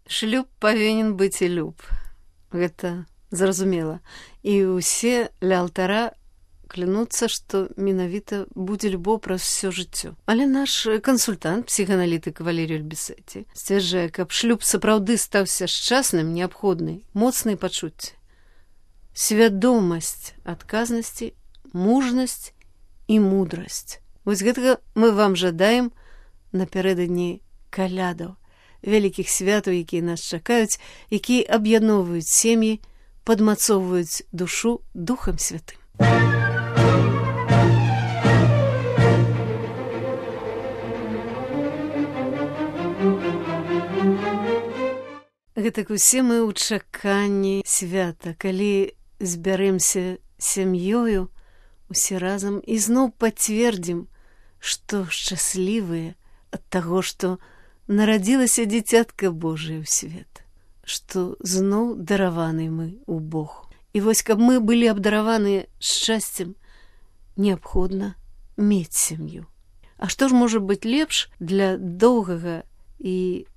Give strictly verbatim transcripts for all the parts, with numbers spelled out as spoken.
Шлюб павінен быць і люб. Гэта зразумела. І ўсе ля алтара клянуцца, што менавіта будзе любоў праз усё жыццё. Але наш кансультант, псіханалітык Валерій Альбісеці, сцвярджае, каб шлюб сапраўды стаўся шчасным, неабходны моцныя пачуцці. Свядомасць адказнасці, мужнасць і мудрасць. Вось гэтага мы вам жадаем напярэдадні калядаў, вялікіх святаў, якія нас чакаюць, якія аб'ядноўваюць сем'і, падмацоўваюць душу Духам Святым. Гэтак усе мы ў чаканні свята, калі збярэмся сям'ёю усе разам і зноў пацвердзім, што шчаслівыя ад таго, што нарадзілася дзіцятка Божае ў свет, што зноў дараваны мы ў Богу. І вось, каб мы былі абдараваны шчасцем, неабходна мець сям'ю. А што ж можа быць лепш для доўгага і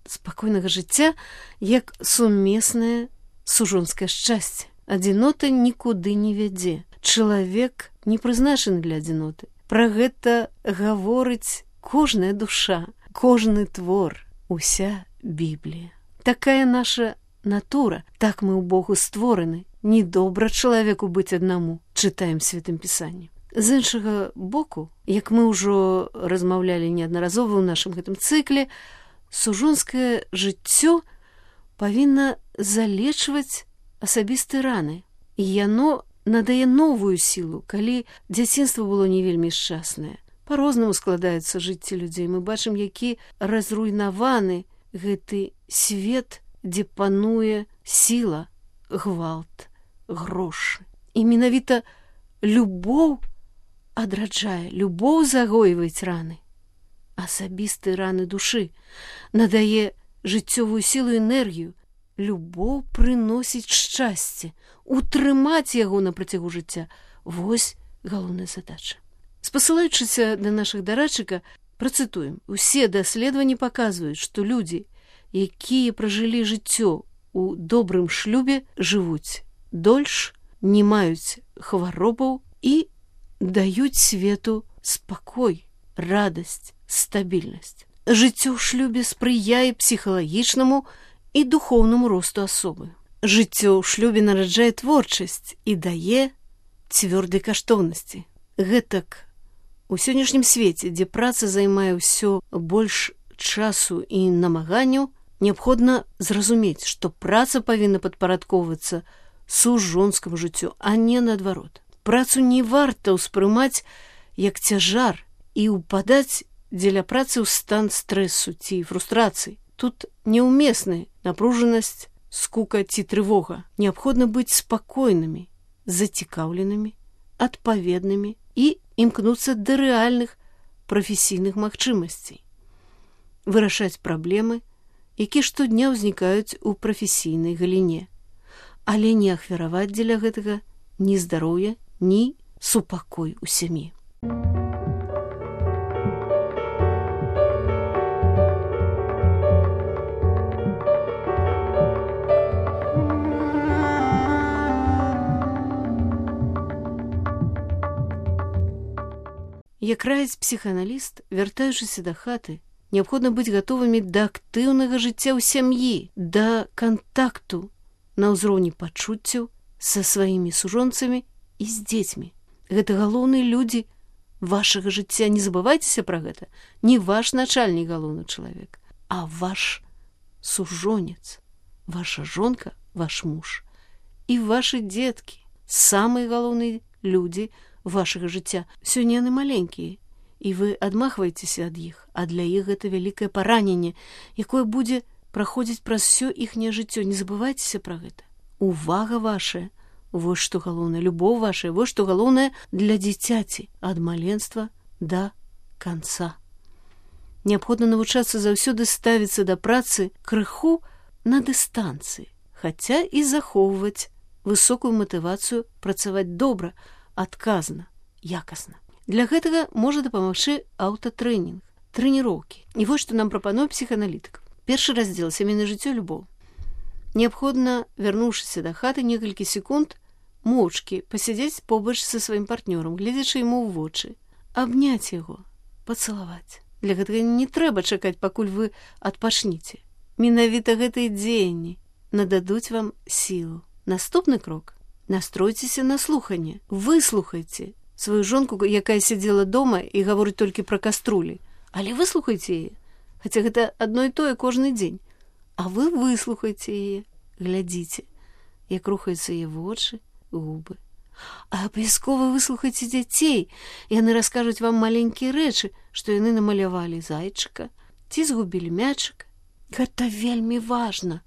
спакойнага жыцця, як сумеснае сужонскае шчасце? Адзінота нікуды не вядзе. Чалавек не прызначаны для адзіноты. Пра гэта гаворыць кожная душа, кожны твор, уся Біблія. Такая наша натура, так мы ў Богу створаны. Недобра чалавеку быць аднаму, чытаем Святым Пісанні. З іншага боку, як мы ўжо размаўлялі неаднаразова ў нашым гэтым цыкле, сужонскае жыццё павінна залечваць асабістыя раны. І яно надае новую сілу, калі дзяцінства было не вельмі шчаснае. Па-рознаму складаецца жыцці людзей. Мы бачым, які разруйнаваны гэты свет, дзе пануе сіла, гвалт, грошы. І менавіта любоў адраджае, любоў загойваць раны. Асабістыя раны душы, надае жыццёвую сілу і энергію. Любоў прыносіць шчасце, утрымаць яго на працягу жыцця. Вось галоўная задача. Спасылаючыся да нашых дарадчыка, працытуем. Усе даследаванні паказваюць, што людзі, якія пражылі жыццё у добрым шлюбе, жывуць дольш, не маюць хваробаў і даюць свету спакой, радасць, стабільнасць. Жыццё ў шлюбе спрыяе псіхалагічнаму і духоўнаму росту асобы. Жыццё ў шлюбе нараджае творчасць і дае цвёрдай каштоўнасці. Гэтак у сённяшнім свеце, дзе праца займае ўсё больш часу і намаганняў, неабходна зразумець, што праца павінна падпарадкоўвацца сужонскаму жыццю, а не наадварот. Працу не варта ўспрымаць як цяжар і ўпадаць дзеля працы ў стан стрэсу ці фрустрацыі. Тут неўмесны напружанасць, скука ці трывога. Неабходна быць спакойнымі, зацікаўленымі, адпаведнымі і імкнуцца да рэальных прафесійных магчымасцей. Вырашаць праблемы, якія штодня ўзнікаюць у прафесійнай галіне. Але не ахвяраваць дзеля гэтага ні здароўя, ні супакой у сям'і. Як раіць псіхааналіст, вяртаючыся да хаты, неабходна быць гатовымі да актыўнага жыцця ў сям'і, да кантакту на ўзроўні пачуццяў са сваімі сужонцамі і з дзецьмі. Гэта галоўныя людзі вашага жыцця. Не забывайцеся пра гэта. Не ваш начальнік галоўны чалавек, а ваш сужонец, ваша жонка, ваш муж і вашы дзеткі. Самыя галоўныя людзі вашага жыцця. Сёння яны маленькія, і вы адмахваецеся ад іх, а для іх гэта вялікае параненне, якое будзе праходзіць праз усё іхняе жыццё. Не забывайцеся пра гэта. Увага вашая, вось што галоўнае, любоў вашая, вось што галоўнае для дзіцяці ад маленства да канца. Неабходна навучацца заўсёды ставіцца да працы крыху на дыстанцыі, хаця і захоўваць высокую матывацыю працаваць добра, адказна, якасна. Для гэтага можа дапамагчы аўтатрэнінг, трэніроўкі. І вось што нам прапануе псіхааналітык. Першы раздзел сямейнае жыццё і любоў. Неабходна, вярнуўшыся да хаты, некалькі секунд моўчкі пасядзець побач са сваім партнёрам, гледзячы яму ў вочы, абняць яго, пацалаваць. Для гэтага не трэба чакаць, пакуль вы адпачніце. Менавіта гэтыя дзеянні нададуць вам сілу. Наступны крок. Настройцеся на слуханне. Выслухайце сваю жонку, якая сядзела дома і гаворыць толькі пра каструлі. Але выслухайце яе. Хаця гэта адно і тое кожны дзень. А вы выслухайце яе, глядзіце, як рухаюцца яе вочы, губы. А абавязкова выслухайце дзяцей. Яны раскажуць вам маленькія рэчы, што яны намалявалі зайчыка, ці згубілі мячык. Гэта вельмі важна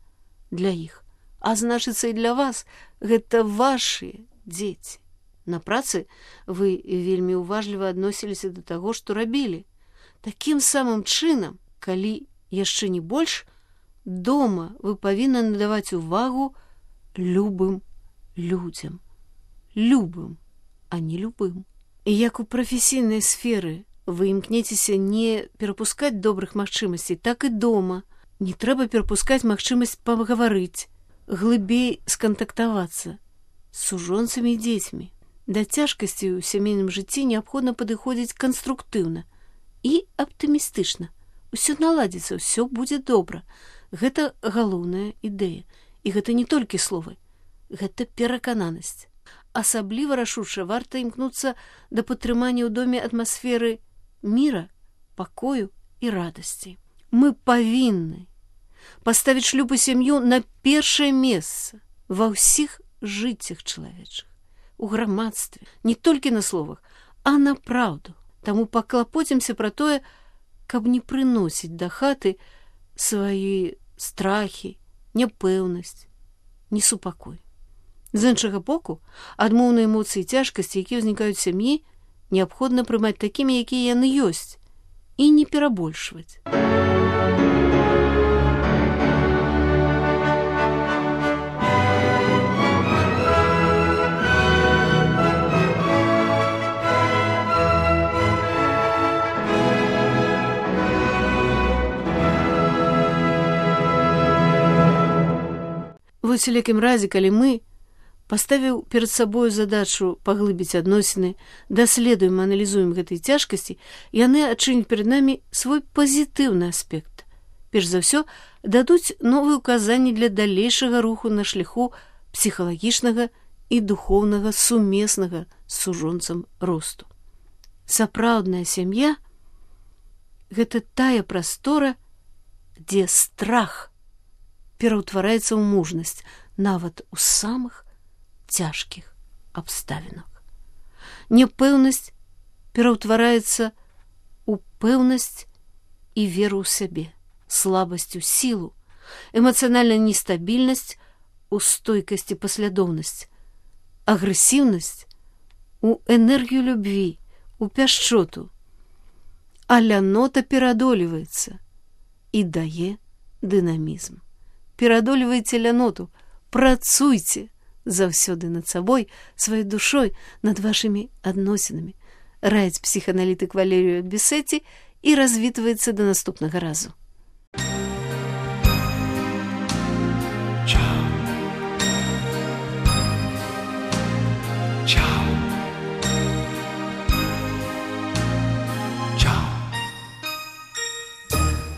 для іх. А значыцца, і для вас гэта вашыя дзеці. На працы вы вельмі уважліва адносіліся да таго, што рабілі. Такім самым чынам, калі яшчэ не больш, дома вы павінны надаваць увагу любым людзям. Любым, а не любым. І як у прафесійнай сферы вы імкнецеся не перапускаць добрых магчымасцей, так і дома не трэба перапускаць магчымасць пагаварыць, глыбей скантактавацца з сужонцамі і дзецьмі. Да цяжкасцей у сямейным жыцці неабходна падыходзіць канструктыўна і аптымістычна. Усё наладзіцца, ўсё будзе добра. Гэта галоўная ідэя. І гэта не толькі словы. Гэта перакананасць. Асабліва рашуча варта імкнуцца да падтрымання ў доме атмасферы міра, пакою і радасці. Мы павінны паставіць шлюб і сям'ю на першае месца ва ўсіх жыццях чалавечых, у грамадстве, не толькі на словах, а на праўду. Таму паклапоцімся пра тое, каб не прыносіць да хаты свае страхі, няпэўнасць, несупакой. З іншага боку, адмоўныя эмоцыі і цяжкасці, якія ўзнікаюць у сям'і, неабходна прымаць такімі, якія яны ёсць, і не перабольшваць. Вось у якім разе, калі мы, паставіў перад сабою задачу паглыбіць адносіны, даследуем, аналізуем гэтыя цяжкасці, яны адчыняць перад намі свой пазітыўны аспект. Перш за ўсё, дадуць новыя ўказанні для далейшага руху на шляху псіхалагічнага і духоўнага сумеснага з сужонцам росту. Сапраўдная сям'я – гэта тая прастора, дзе страх пераўтвараецца ў мужнасць, нават у самых цяжкіх абставінах. Няпэўнасць пераўтвараецца ў пэўнасць і веру ў сябе, слабасць у сілу, эмацыянальная нестабільнасць у стойкасці паслядоўнасць, агрэсіўнасць у энергію любві, у пяшчоту. А лянота перадоліваецца і дае дынамізм. Перадолівайце ляноту, працуйце заўсёды над сабой, сваёй душой, над вашымі адносінамі. Раіць псіханалітык Валерію Бісеці і развітваецца да наступнага разу.